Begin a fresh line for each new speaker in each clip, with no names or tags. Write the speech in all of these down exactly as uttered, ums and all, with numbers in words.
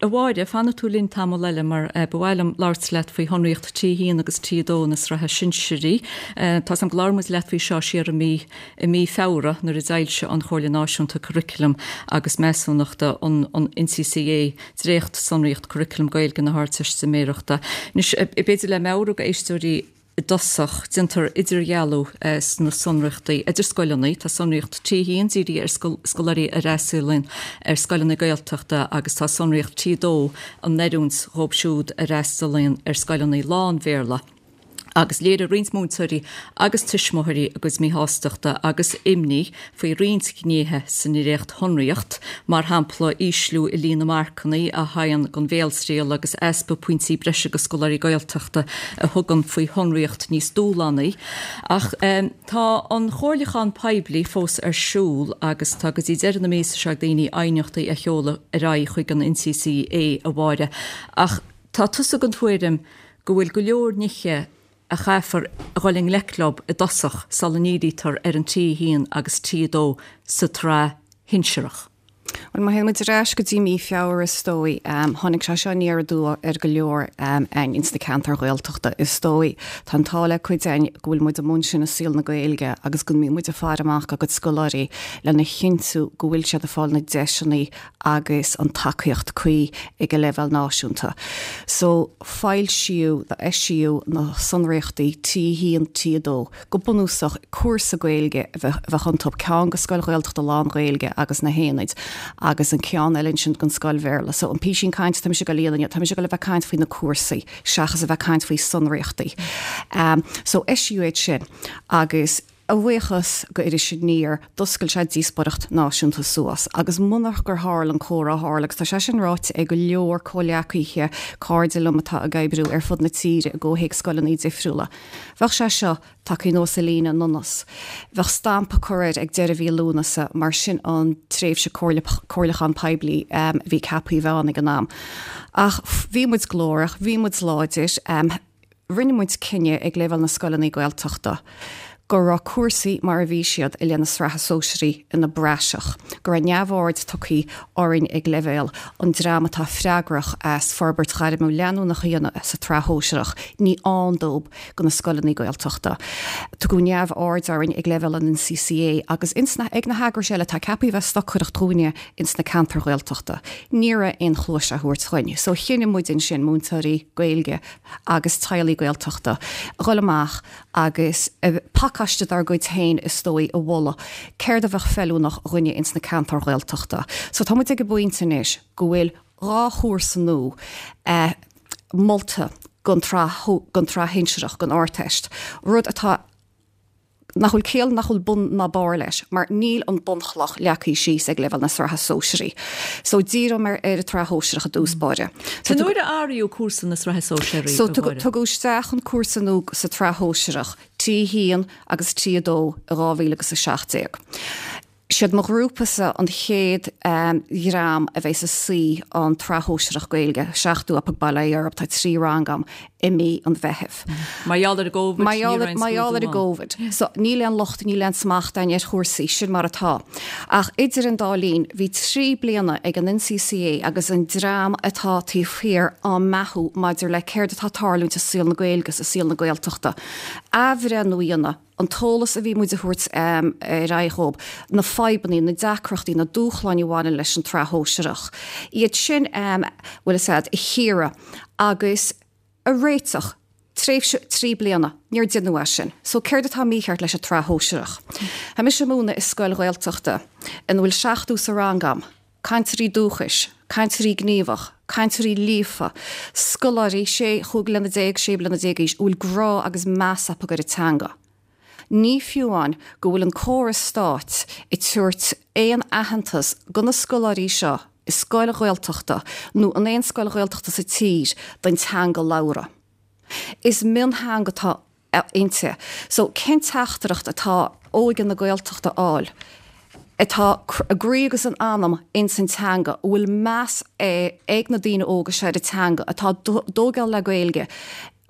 A Mháire, fanfaidh tú linn tamall eile mar ba mhaith liom labhairt leat faoi shonraíocht T a haon agus T a dó na sraithe sinsearaí. Tá 's agam gur labhair muid leat faoi seo siar i mí i mí Feabhra nuair a d'fhoilsigh an Chomhairle Náisiúnta Curriculum agus Measúnachta an an N C C A dréacht sonraíocht curriculum Gaeilge na hArdteistiméireachta. Anois, b'fhéidir le meabhrú go éisteoirí i dtosach, déantar idirdhealú sna sonraíochtaí idir scoileanna. Tá sonraíocht T haon dírithe ar scoláirí a fhreastalaíonn ar scoileanna Gaeltachta agus tá sonraíocht T dó in oiriúint dóibh siúd a fhreastalaíonn ar scoileanna lán-Bhéarla. Agus léirigh roinnt múinteoirí agus tuismitheoirí a gcuid míshástachta agus imní faoi roinnt gnéithe sa ndréacht-shonraíocht, mar shampla ísliú i líon na marcanna a thagann don bhéaltriail agus easpa pointí breise go scoláirí Gaeltachta a thugann faoi shonraíocht níos dúshlánaí. Ach tá an chomhairliúchán poiblí fós ar siúl agus tá go dtí deireadh na míosa seo ag daoine aighneachtaí a sheoladh ar aghaidh chuig an N C C A, a Mháire. Ach tá tusa den tuairim go bhfuil go leor nithe a chaithfear a dhul i ngleic leo i dtosach sula ndírítear ar an T haon agus T dó sa tsraith shinsearach.
Well, má théann muid ar ais go dtí mí Feabhra, is dóigh, um, tháinig sé seo aniar aduaidh ar go leor um, ins na ceantair Ghaeltachta, is dóigh. Tá an t-ádh le cuid againn go bhfuil muid amuigh ansin i saol na Gaeilge agus go mbíonn muid ag faire amach go scoláirí lena chinntiú go bhfuil siad ag fáil na deiseanna agus an tacaíocht cuí ag an leibhéal náisiúnta. So foilsíodh, eisíodh na sonraíochtaí T haon T dó go bunúsach cúrsa Gaeilge a bheith iontu, ceann go scoil Ghaeltachta lán-Ghaeilge agus na haonaid agus an ceann eile sin don scoil Bhéarla. So an písín cainte tá sé go líana tá sé go le bheith caint faoi na cúrsaí seachas a bheith caint faoi sonraíochtaí. Um, so eisíodh sin agus a bhuíochas go Iris Aniar, d'oscail sé díospóireacht náisiúnta suas, agus munach gur tharla an comhrá tharla, agus tá sé sin ráite ag go leor comhleacaithe, cairde liom atá ag oibriú ar fud na tíre i gcomhthéacs scoileanna difriúla. Bheadh sé seo tagtha anuas an líne anuas. Bheadh stampa curtha air ag deireadh mhí Lúnasa, mar sin an tréimhse comhairliúchán poiblí um, bhí ceaptha bheith ann ag an am. Ach bhí muid glórach, bhí muid láidir, um, rinne muid cinneadh ag leibhéal na scoileanna Gaeltachta go raibh cúrsaí mar a bhí siad i leith na sraithe sóisearaí ina bpraiseach, go raibh neamhaird tugtha orainn ag leibhéal an dream atá freagrach as forbairt ghairmiúil leanúnach a dhéanamh sa tsraith shóisearach, ní ann dóibh go na scoileanna Gaeltachta. Tugadh neamhaird orainn ag leibhéal an N C C A agus insna, ag na heagrais eile tá ceaptha bheith stocaireacht dúinne ins na ceantair Ghaeltachta. Ní raibh aon chluas á thabhairt dúinn, so chinne muid ansin, múinteoirí Gaeilge agus teaghlaigh Gaeltachta, dhul amach agus pacáiste dár gcuid féin, is dóigh, a mholadh céard a bheadh feiliúnach dúinne ins na ceantair Ghaeltachta. So tá muid ag an bpointe anois go bhfuil dhá chúrsa nua eh, molta don tsraith don tsraith shinsearach, don Ardteist, rud atá nach bhfuil ciall, nach bhfuil bun ná barr leis, mar níl an bunchloch leagtha síos ag leibhéal na sraithe sóisearaí. So díreoidh mé ar an tsraith shóisearach i dtús báire.
So nuair a áiríodh cúrsa na sraithe sóisearaí?
So tugadh isteach an cúrsa nua sa tsraith shóisearach T haon agus T dó i dhá mhíle agus a seacht déag. Siad mo ghrúpasa an chéad um, dhream a bheas ag suí an tsraith shóisearach Gaeilge, seachtú up ag Baile Europe, tá trí rang agam i mí an Mheithimh.
Mar gheall ar an gCovid?
Mar gheall ar an gCovid. So níl aon locht, níl aon smacht againn ar chúrsaí, sin mar atá. Ach idir an dá linn, bhí trí bliana ag an N C C A agus an dream atá taobh thiar á mbeathú maidir le céard atá tarlúint i saol na Gaeilge, i saol na Gaeltachta. Athbhreithniú a dhéanamh an t-eolas a bhí muid a thabhairt um, ar aghaidh dhóibh, na fadhbanna, na deacrachtaí, na dúshláin a bhaineann leis an tsraith shóisearach. Iad sin um, bhfuil siad a chíoradh agus a réiteach tréimhse trí bliana, níor deineadh é sin. So céard atá mícheart leis an tsraith shóisearach? Tá mise ag múineadh i scoil Ghaeltachta ina bhfuil seachtó sa rang agam, cainteoirí dúchais, cainteoirí gníomhach, cainteoirí líofa, scoláirí sé chúig bliana déag, sé bliana déag aois, bhfuil grá agus meas acu ar an teanga. Ní fiú amháin go bhfuil an córas stáit ag tabhairt aon aitheantas go na scoláirí seo i scoil Ghaeltachta nó in aon scoil Ghaeltachta sa tír don teanga labhartha. Is mionteanga atá inti. So cén teachtaireacht atá óige na Gaeltachta a fháil, atá a gcroí agus a n-anam ins an teanga, bhfuil meas ag na daoine óga seo ar an teanga, atá dógáil le Gaeilge,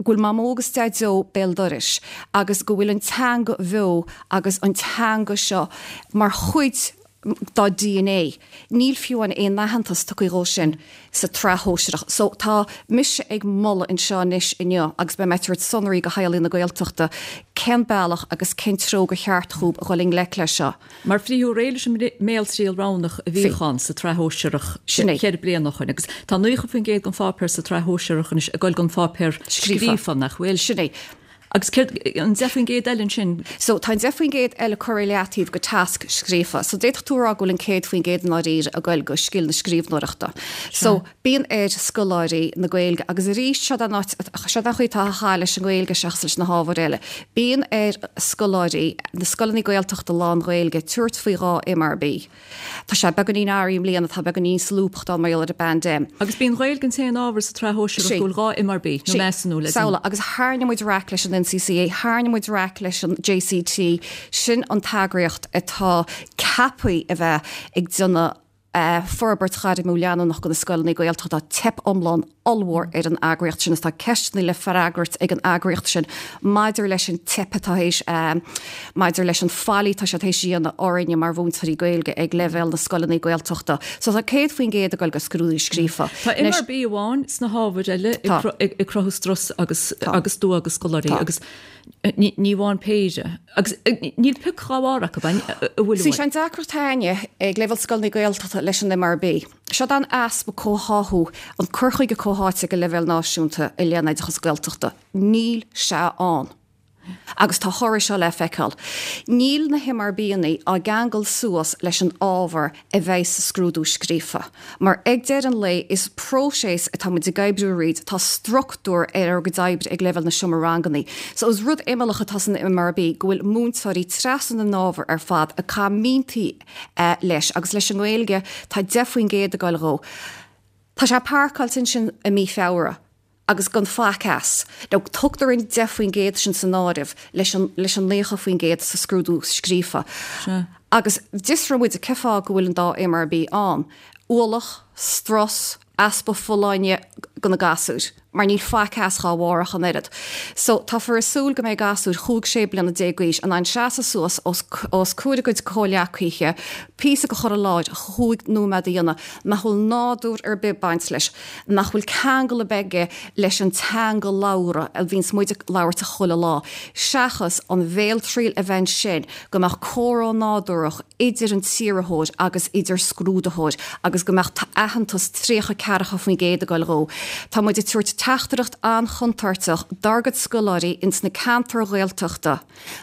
go bhfuil mamó agus daideo béal dorais agus go bhfuil an teanga bheo agus an teanga seo mar chuid dá D N A. Níl fiú an aon aitheantas tugtha dhó sin sa tsraith shóisearach. So tá mise ag moladh anseo anois inniu agus beidh mé ag tabhairt sonraí go theaghlaigh na Gaeltachta cén bealach agus cén treo gur cheart dhóibh a dhul i ngleic leis seo.
Mar frítheadh réidh leis an mbéaltriail roghnach a bhí ann sa tsraith shóisearach
Sin é.
ceithre bliana ó shin agus tá nócha faoin gcéad den pháipéar sa tsraith shóisearach anois ag dul don pháipéar
Scríofa.
scríofa nach bhfuil.
Sin é.
Agus céard an deich faoin gcéad eile ansin?
So tá an deich faoin gcéad eile curtha i leataobh go tasc scríofa. So d'fhéadfadh tú rá go bhfuil an céad faoin gcéad i ndáiríre ag goil go scil na scríbhneoireachta. So bíonn ar scoláirí na Gaeilge agus arís seo an áit- seo an chaoi atá a leis an Ghaeilge seachas leis na hábhair eile. Bíonn ar scoláirí na scoileanna Gaeltachta lán-Ghaeilge tabhairt faoi dhá M R B. Tá sé beagáinín athraithe i mbliana, tá beagáinín solúbthachta mar gheall ar an bpaindéim.
Agus bíonn Gaeilge an t-aon ábhar sa tsraith shóisearach
Sí.
go bhfuil dhá M R B nó measúnú le
Samhla, agus tharraing muid raic leis an N C C A, tharraing muid raic leis an J C T, sin an t-eagraíocht atá ceaptha a bheith ag déanamh uh, forbairt ghairmiúil leanúnach go na scoileanna Gaeltachta. Teip iomlán ollmhór ar an eagraíocht sin is tá ceisteanna le freagairt ag an eagraíocht sin maidir leis an teip atá théis um, maidir leis an faillí tá sé théis a dhéanamh orainne mar mhúinteoirí Gaeilge ag leibhéal na scoileanna Gaeltachta. So tá céad faoin gcéad ag dul go scrúdú scríofa.
Tá
Anois-
M R B amháin sna hábhair eile ag
Tá.
cru- ag ag cruthú strus agus
Tá.
agus dua agus scoláirí
Tá.
agus eh, ní ní amháin péire. Agus eh, níl pioc dhá bharr acu an bhfuil
Sí an deacracht againne ag leibhéal scoileanna Gaeltachta leis an M R B. Seo an easpa comhtháthú, an cur chuige comhtháite go leibhéal náisiúnta i leith an oideachas Gaeltachta. Níl sé ann. Agus tá thoradh seo le feiceáil. Níl na M R Banna á gceangal suas leis an ábhar a bheidh sa scrúdú scríofa. Mar ag deireadh an lae is próiseas atá muid ag oibriú tríd, tá struchtúr ar ár gcuid oibre ag leibhéal na seomra ranganna. So is rud imeallach atá san M R B go bhfuil múinteoirí trasna na n-ábhar ar fad a camintaí eh, leis agus leis an nGaeilge tá deich faoin gcéad ag dul dhó. Tá sé páirceáilte sin i mí Feabhra agus gan faic as. Nó tugtar an deich faoin gcéad sin san áireamh leis an, leis an nócha faoin gcéad sa scrúdú scríofa.
Sea.
Agus d'fhiosraigh muid cén fáth go bhfuil an dá M R B ann. Ualach, strus, easpa folláine go na gasúir, mar níl faic as dhá bharr an oiread. So táthar ag súil go mbeidh gasúir chúig sé bliana déag d'aois in ann seasamh suas os, os comhair a gcuid comhghleacaithe, píosa a chur i láthair chúig nóiméad a dhéanamh, nach bhfuil nádúr ar bith baint leis, nach bhfuil ceangal ar bith aige leis an teanga labhartha a bhíonns muid ag labhairt a chuile lá. Seachas an bhéaltriail a bheith sin go mbeadh comhrá nádúrach idir an t-iarrthóir agus idir scrúdaitheoir agus go mbeadh aitheantas tríocha ceathracha faoin gcéad ag dul dhó. Tá muid ag tabhairt teachtaireacht an-chontúirteach dár gcuid scoláirí ins na ceantair Ghaeltachta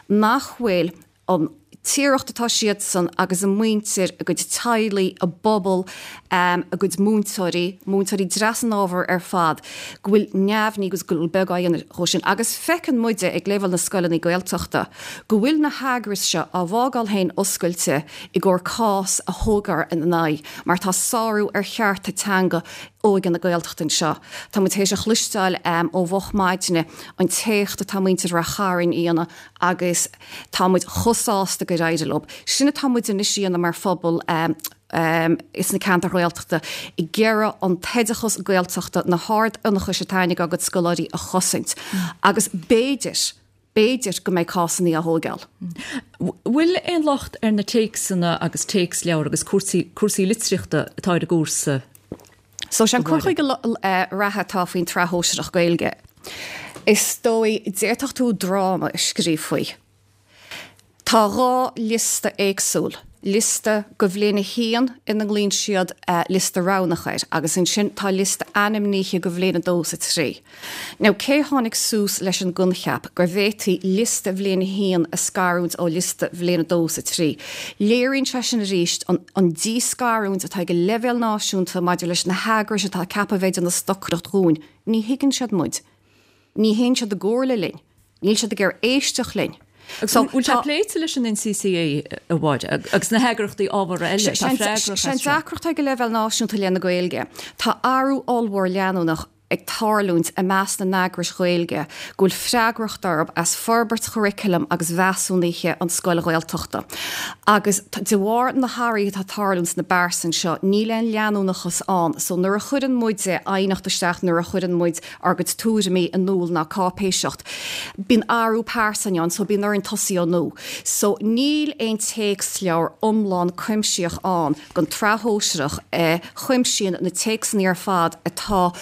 nach bhfuil an tiireacht atá siad san agus a muintir, a gcuid teaghlaigh, a bpobal, um, a gcuid múinteoirí, múinteoirí trasna an ábhar ar fad, go bhfuil neamhní agus go bhfuil beagán dhó sin. Agus feiceann muide ag leibhéal na scoileanna Gaeltachta, go bhfuil na heagrais seo á bhfágáil féin oscailte i gcomhair cás a thógáil ina n-aghaidh, mar tá sárú ar chearta teanga óige na Gaeltachta seo. Tá muid théis a chloisteáil um, ó mhoch maidine an t-éacht atá muintir Ráth Chairn a dhéanamh agus tá muid chomh sásta gur éirigh leo. Sin atá muid anois a dhéanamh mar phobal um, um, is na ceantair Ghaeltachta ag iarraidh an t-oideachas Gaeltachta na hard-ionchais atá ag ár gcuid scoláirí a chosaint. Agus b'fhéidir, b'fhéidir go mbeidh cásanna á thógáil.
Bhfuil aon locht ar na téacsanna agus téacsleabhair agus cúrsaí cúrsaí litríochta atá ar an gcúrsa?
So sé an cur chuige reatha atá faoin tsraith shóisearach Gaeilge. Is dóigh d'fhéadfadh tú dráma a scríobh faoi. Tá dhá liosta éagsúil. Liosta go bhliain a haon ina nglaonn siad uh, liosta roghnach air, agus ansin tá liosta ainmnithe go bhliain a dó is a trí. Now cé tháinig suas leis an gcoincheap gur bhféadfaí liosta bhliain a haon a scarúint ó liosta bhliain a dó is a trí. Léiríonn sé sin arís an, an díscarúint atá ag leibhéal náisiúnta maidir leis na heagrais atá ceaptha bheith ina stocaireacht dhúinn. Ní thuigeann siad muid. Ní théann siad i gcomhairle linn. Níl siad ag iarraidh éisteacht linn.
So bhfuil sé pléite leis an N C C A a Mháire agus na heagraíochtaí ábhartha eile
Sé deacracht ag leibhéal náisiúnta le na Gaeilge. Tá athrú ollmhór leanúnach ag tarlúint i measc na n-eagrais Ghaeilge go bhfuil freagracht orthu as forbairt churaclaim agus mheasúnaithe an scoil Ghaeltachta. Agus de bharr na hathruithe atá ag tarlúint sna pearsain seo, níl aon leanúnachas ann, so nuair a chuireann muide aighneacht isteach, nuair a chuireann muid ár gcuid tuairimí in iúl ná cáipéiseacht, bíonn athrú pearsan ann, so bíonn orainn tosaí ó nua. So níl aon téacsleabhar iomlán cuimsitheach ann don tsraith shóisearach a chuimsíonn na téacsanna ar fad atá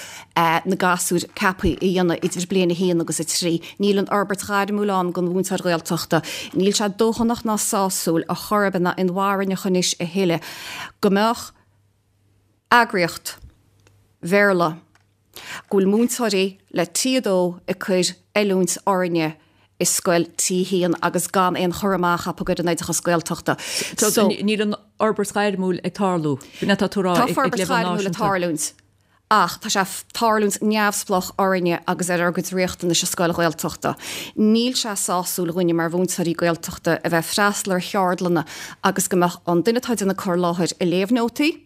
na gasúir ceaptha a dhéanamh idir bliain a haon agus a trí. Níl an fhorbairt ghairmiúil ann don mhúinteoir Gaeltachta. Níl sé dóthanach ná sásúil ar chor ar bith ná inmharthana anois a thuilleadh go mbeadh eagraíocht Bhéarla go bhfuil múinteoirí le T a dó ag cur oiliúint orainne i scoil T a haon agus gan aon chur amach acu ar an oideachas Gaeltachta.
So níl an fhorbairt ghairmiúil ag tarlú. Tá tú
Tá forbairt ghairmiúil ag tarlúint. Ach tá sé tarlúint neamhspleách orainne agus ar ár gcuid riachtanais i scoil Ghaeltachta. Níl sé sásúil dhúinne mar mhúinteoirí Gaeltachta a bheith freastal ar cheardlanna agus go mbeadh an duine atá ag déanamh cur i láthair ag léamh nótaí,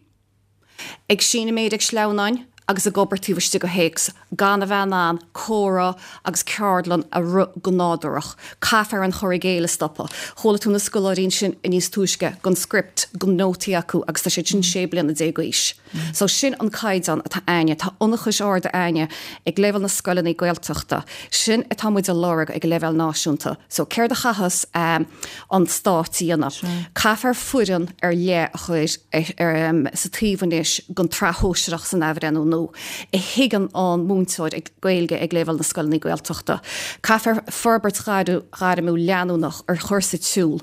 ag síneadh méire ag sleamhnáin agus ag obair taobh istigh de théacs, gan a bheith in ann comhrá agus ceardlann a rith go nádúrach. Caithfear an cur i gcéill a stopadh. Chuala tú na scoláirí ansin níos túisce gan script, gan nótaí acu agus tá siad sin sé bliana déag d'aois. So sin an caighdeán atá againne, tá ionchais arda againne ag leibhéal na scoileanna Gaeltachta. Sin atá muid a lorg ag leibhéal náisiúnta. So céard a chaithfeas um, an stát a dhéanamh. Caithfear foireann ar leith a chur ar, um, sa taobh anois don tsraith shóisearach san athbhreithniú nua a thuigeann an múinteoir ag Gaeilge ag leibhéal na scoileanna Gaeltachta. Caithfear forbairt ghairmiúil leanúnach ar chur sa tsiúl.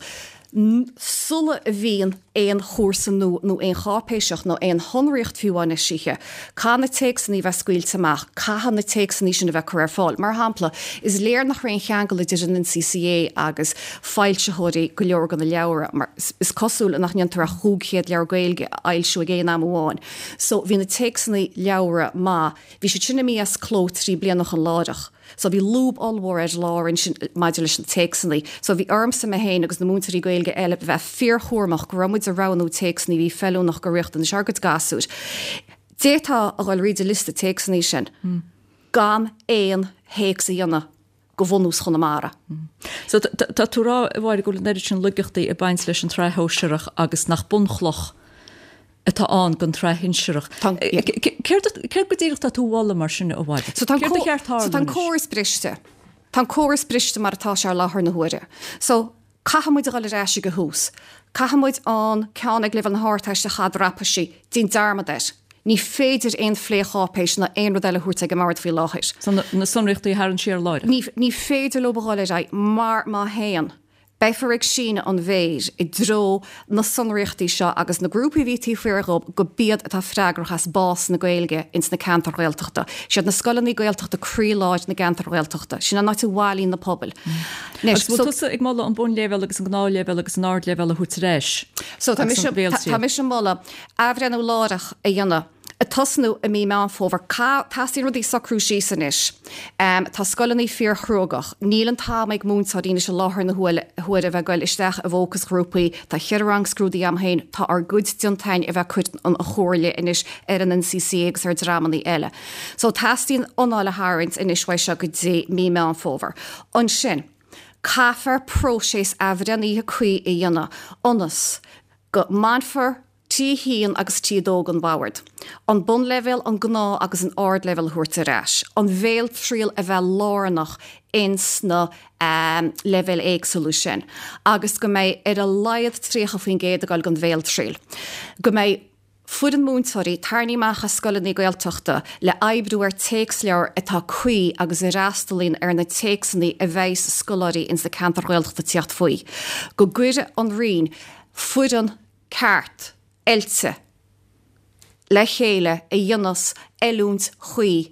Sula a bhíonn aon chúrsa nó nó aon cháipéiseacht nó aon shonraíocht fiú amháin eisithe, caithfidh na téacsanna bheith scaoilte amach, caithfidh na téacsanna sin a bheith curtha ar fáil. Mar shampla, is léir nach raibh aon cheangal idir an N C C A agus foilsitheoirí go leor de na leabhra, mar is cosúil nach ndéantar ach cúig chéad leabhar Gaeilge a fhoilsiú ag aon am amháin. So bhí na téacsanna leabhra maith, bhí siad sin imithe as cló trí bliana chun láithreach. So bhí lúb ollmhór ar lár ansin maidir leis na téacsanna. So bhí ormsa mé féin agus na múinteoirí Gaeilge eile bheith fíorchúramach go raibh muid ag roghnú téacsanna bhí feiliúnach do riachtanais ár gcuid gasúr. D'fhéadfá a dhul tríd an liosta téacsanna sin gan aon théacs a dhéanamh go bhunús Chonamara.
So tá tú ag rá a Mháire go bhfuil an oiread sin laigeachtaí ag baint leis an tsraith shóisearach agus nach bunchloch atá ann don tsraith shinsearach. Céard go díreach tá tú a mholadh mar sin a Mháire?
So tá an córas briste. Tá an córas briste mar atá sé ar láthair na huaire. So caithfidh muid a dhul ar ais ag an tús. Caithfidh muid an ceann ag leibhéal na hArdteiste a dhreapadh, déan dearmad air. Ní féidir aon phlécháipéis ná aon rud eile a thabhairt ag an mbord faoi láthair.
So na sonraíochtaí a tharraingt siar láithreach.
Ní, ní féidir leo a dhul ar aghaidh mar má théann. Beifear ag síneadh an mhéir i dtreo na sonraíochtaí seo agus na grúpaí a bhí taobh thiar dhóibh go b'iad atá freagrach as bás na Gaeilge ins na ceantair Ghaeltachta. Siad na scoileanna Gaeltachta croílár na gceantar Ghaeltachta. Sin an áit a bhailíonn na pobail.
Agus bhfuil tusa ag moladh an bunleibhéal agus an gnáthleibhéal agus an ardleibhéal a thabhairt ar ais?
So tá mise tá mise ag moladh athbhreithniú láithreach a dhéanamh ag tosnú i mí Meán Fómhair. Teastaíonn rudaí socrú síos anois. Um, tá scoileanna fíorchruógach. Níl an t-am ag múinteoirí anois i láthair na huaire a bheith ag goil isteach i bhfócasghrúpaí, tá ceithre rang scrúdaithe agam féin, tá ár gcuid déanta againn a bheith cur an chomhairle anois ar an N C C A agus ar dreamanna eile. So teastaíonn anáil a tharraingt anois uaidh seo go dtí mí Meán Fómhair. Ansin, caithfear próiseas athbhreithnithe cuí a dhéanamh ionas go mbainfear T a haon agus T a dó den bhord. An bunleibhéal, an gnáth agus an ardleibhéal a thabhairt ar ais. An bhéaltriail a bheith lárnach ins na um, leibhéil éagsúla sin. Agus go mbeidh ar a laghad tríocha faoin gcéad ag dul don bhéaltriail. Go mbeidh foireann múinteoirí tarraingthe amach as scoileanna Gaeltachta le oibriú ar téacsleabhar atá cuí agus a fhreastalaíonn ar na téacsanna a bheidh scoláirí ins na ceantar Ghaeltachta teacht faoi. Go gcuire an Roinn foireann ceart oilte le chéile a dhéanfas oiliúint chuí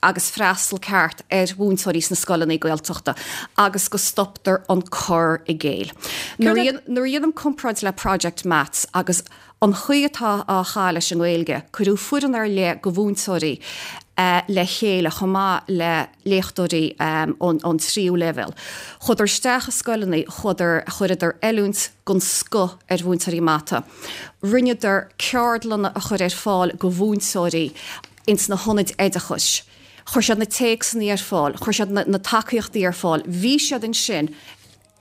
agus freastal ceart ar mhúinteoirí sna scoileanna Gaeltachta agus go stoptar an cur i gcéill. Nuair a dhéanaim comparáid le Project Maths agus an chaoi atá á chaitheamh leis an nGaeilge, cuireadh foireann ar leith de mhúinteoirí uh, le chéile chomh maith le léachtóirí um, ón, ón tríú leibhéal. Chuadar isteach i scoileanna, chuadar chuireadar oiliúint den scoth ar mhúinteoirí mata. Rinneadar ceardlanna a chur ar fáil do mhúinteoirí ins na hionaid oideachais. Chuir siad na téacsanna ar fáil, chuir siad na, na tacaíochtaí ar fáil. Bhí siad ansin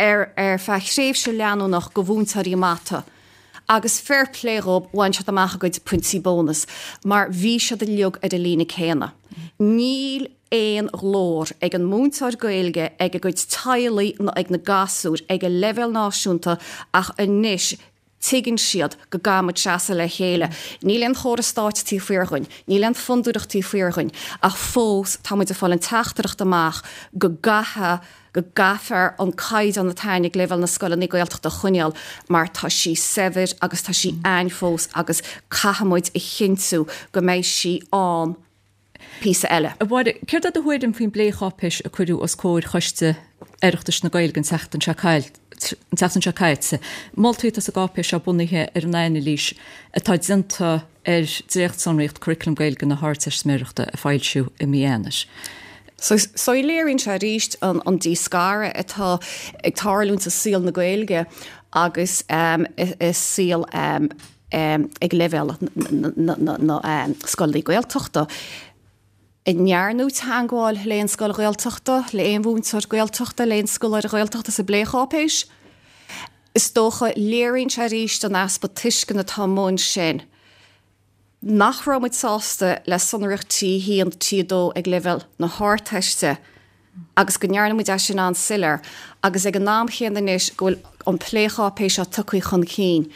ar ar feadh tréimhse leanúnach go mhúinteoirí mata. Agus fair play dhób bhain siad amach a gcuid pointí bónus, mar bhí siad uilig ar an líne céanna. Níl aon ghlór ag an múinteoir Gaeilge ag a gcuid teaghlaigh nó ag na gasúir ag an leibhéal náisiúnta ach anois tuigeann siad go gcaithfimid seasamh le chéile. Níl aon chóras stáit taobh thiar dhúinn, níl aon fondúireacht taobh thiar dhúinn, ach fós tá muid ag fáil an teachtaireacht amach go gcaithfidh go gcaithfear an caighdeán atá ann ag leibhéal na scoileanna Gaeltachta a choinneáil mar tá sí saibhir agus tá sí ann fós agus caithfimid a chinntiú go mbeidh sí ann píosa eile.
A Mháire, céard é do thuairim faoin bplécháipéis a cuireadh os comhair Choiste Oireachtais na Gaeilge an tseachtain seo an tseachtain seo caite? Moltaí atá sa gcáipéis seo bunaithe ar an anailís atá déanta ar dréachtsonraíocht Curriculum Gaeilge na hArdteistiméireachta a foilsíodh i mí Eanáir.
So, so léiríonn sé arís an, an díscaradh atá ag tarlúint sa saol na Gaeilge agus um, i, i saol um, um, ag leibhéal na, na, na, um, scoileanna Gaeltachta. An ndearnadh teagmháil le aon scoil Ghaeltachta, le aon mhúinteoir Gaeltachta, le aon scoláire Gaeltachta sa bplécháipéis. Is dócha léiríonn sé arís an easpa tuisceana atá amuigh ansin. Nach raibh muid sásta le sonraíocht T haon T dó ag leibhéal na hArdteiste agus go ndearna muid é sin an-soiléir agus ag an am chéanna anois go bhfuil an plécháipéis seo tugtha chun cinn.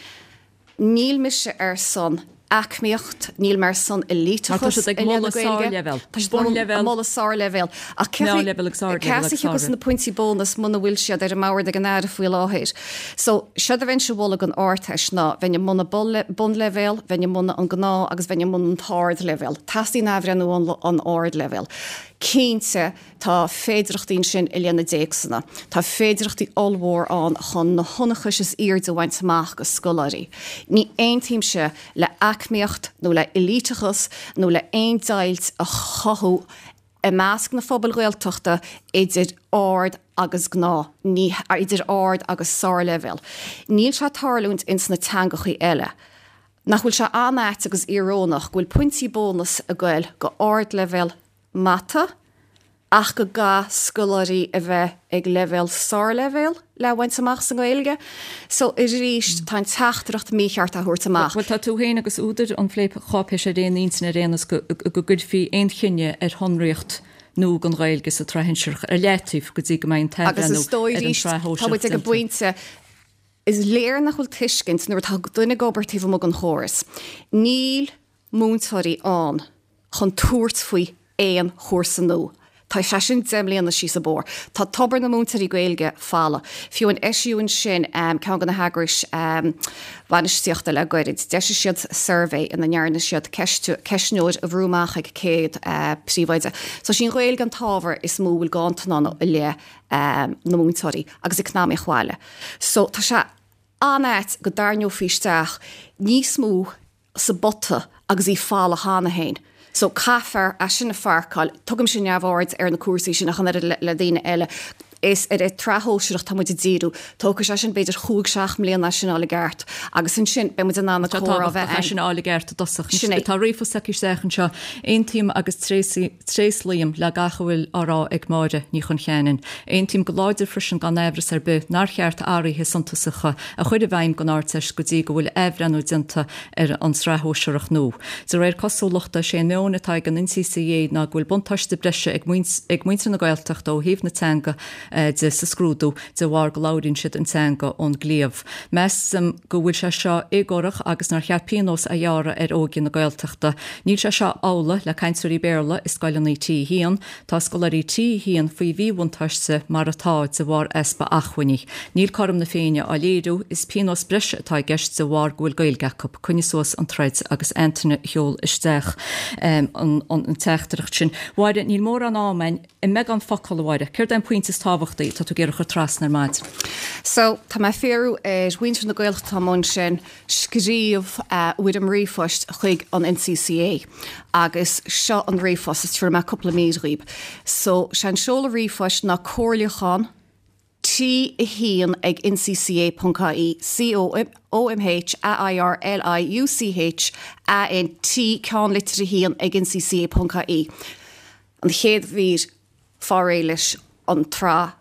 Níl mise ar son aicmíocht, níl mé ar son
éliteachas
ag
moladh sárleibhéal.
Tá siad ag moladh sárleibhéal. Ach
Meánleibhéal agus ardleibhéal
Cé as a thiocfas na pointí bónus muna bhfuil siad ar an mbord ag an Aire faoi láthair. So séard a bheinnse a mholadh don Ardteist ná bheinn ag moladh bunleibhéal, bheinn ag moladh an gnáth agus bheinn ag moladh an t-ardleibhéal. Teastaíonn athbhreithniú an, an ardleibhéal. Cinnte tá féidearthachtaí ansin i leith na dtéacsanna. Tá féidearthachtaí ollmhór ann chun na hionchais is airde a bhaint amach go scoláirí. Ní aontaímse le aicmíocht nó le éliteachas nó le aon deighilt a chothú i measc na phobail Ghaeltachta idir ard agus gnáth, ní idir ard agus sárleibhéal. Níl sé ag tarlúint ins na teangachaí eile. Nach bhfuil sé an-ait agus íorónach go bhfuil pointí bónus ag goil go ardleibhéal mata, ach go gcaithfidh scoláirí a bheith ag leibhéal sárleibhéal le bhaint amach sa nGaeilge. So arís tá an teachtaireacht mícheart á thabhairt amach.
Bhuel tá tú féin agus údair an phlécháipéis ar aon intinn ar aon nós go gcuirfí aon chinneadh ar shonraíocht nua don Ghaeilge sa tsraith shinsearach ar leataobh go dtí go mbeidh an
Agus
t-athbhreithniú
is dóigh
ar an
arís
tsraith
tá
shóisearach
muid ag an
déanta.
bpointe is léir nach bhfuil tuiscint nuair atá duine ag obair taobh amuigh den chóras. Níl múinteoirí ann chun tabhairt faoi aon chúrsa nua. Tá sé sin deich mbliana síos an bóthar. Tá tobar na múinteoirí Gaeilge folamh. Fiú an eisiúint sin um, ceann de na heagrais um, bhainistíochta le gairid. D'eisigh siad suirbhé ina ndearna siad ceistneoir a bhrú amach ag céad uh, príomhoide. So sin Ghaeilge an t-ábhar is mó bhfuil ganntan i leith um, na múinteoirí agus eacnamaíocht bhaile. So tá sé an-ait go dtarraingeofaí isteach níos mó sa bpota agus í folamh cheana féin. So caithfear é sin a pháirceáil, tugaimse neamhaird ar na cúrsaí sin ach an oiread le, le daoine eile. Is ar an tsraith shóisearach tá muid ag díriú, tógfaidh sé sin b'fhéidir chúig seacht mbliana sin fháil i gceart, agus ansin beidh muid in ann na
Tá
comhrá
tábhachtach
bheith
é sin fháil i gceart i dtosach.
Sin é.
Tá ríomhphost tagtha isteach anseo aontaím agus tréaslaím le gach a bhfuil á rá ag Máire Ní Choncheanainn. Aontaím go láidir freisin gan amhras ar bith nár cheart athruithe suntasacha a chur i bhfeidhm don Ardteist go dtí go bhfuil athbhreithniú déanta ar an tsraith shóisearach nua. De réir cosúlachta sé an meon atá ag an NCCA ná go bhfuil buntáiste breise ag ag muintir na Gaeltachta ó thaobh na teanga de sa scrúdú de bharr go labhraíonn siad an teanga ón gcliabh. Measaim go bhfuil sé seo éagórach agus nár cheart pionós a ghearradh ar óige na Gaeltachta. Níl sé seo amhlaidh le cainteoirí Béarla i scoileanna T haon, tá scoláirí T haon faoi mhíbhuntáiste mar atá de bharr easpa acmhainní. Níl cothrom na Féinne á léiriú is pionós breise atá i gceist de bharr go bhfuil Gaeilge acu, coinnigh suas an troid agus Antaine a sheol isteach um, an, an, an teachtaireacht sin. Mháire níl mórán ama againn i mbeagán focal a Mháire, céard é an pointe is tábhachtaí tá tú ag iarraidh a chur trasna ar maidin.
So tá mé ag fiafraí ar mhuintir na Gaeltachta atá ansin scríobh uh, fhoirm ríomhphoist chuig an NCCA agus seo an ríomhphost is tabharfaidh mé cúpla mír dhaoibh. So sé an seoladh ríomhphoist ná comhairliúchán T a haon ag NCCA.ie C O O M H A I R L I U C H A N T ceannlitir a haon ag NCCA.ie. An chéad mhír, fáil réidh leis an tsraith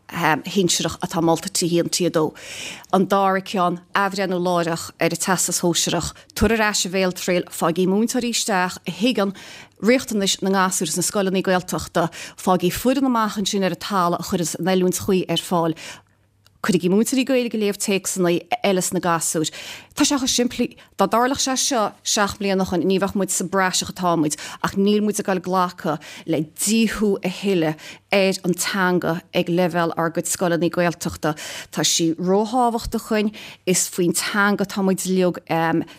shinsearach atá molta T a haon, T a dó. An dara ceann, athbhreithniú láithreach ar an Teastas Shóisearach. Tabhair ar ais an bhéaltriail, faighigí múinteoirí isteach a thuigeann riachtanais na ngasúr sna scoileanna Gaeltachta, faighigí foireann amach ansin ar an talamh a chuireann an oiliúint chuí ar fáil. Cuirigí múinteoirí Gaeilge ag léamh téacsanna eile sna gasúir. Tá sé chomh simplí. Dá dtarlódh sé seo seacht mbliana ó shoin ní bheadh muid sa bpraiseach atá muid ach níl muid ag dul glacadh le díothú a thuilleadh ar an teanga ag leibhéal ár gcuid scoileanna Gaeltachta. Tá sí róthábhachtach dúinn, is faoin teanga atá muid uilig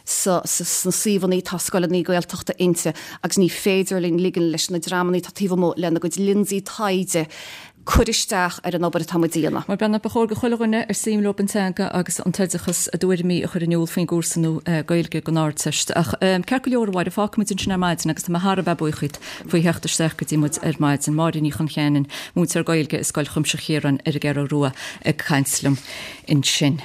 sa sna suíomhanna atá scoileanna Gaeltachta inti agus ní féidir linn ligean leis na dreamanna atá taobh amuigh lena gcuid lionsaí taighde cur isteach ar an obair atá muid a dhéanamh.
Mar bean, ba chóir go chuile dhuine ar suim leo an teanga agus an t-oideachas a dtuairimí a chur in iúl faoin gcúrsa nua Gaeilge don Ardteist. Ach ceart go leor, a Mháire, fágfaimid ansin ar maidin agus tá mé thar a bheith buíoch díot faoi theacht isteach go dtí muid ar maidin. Máire Ní Choncheanainn, múinteoir Gaeilge i Scoil Chuimsitheach Chiaráin ar an gCeathrú Rua ag caint liom ansin.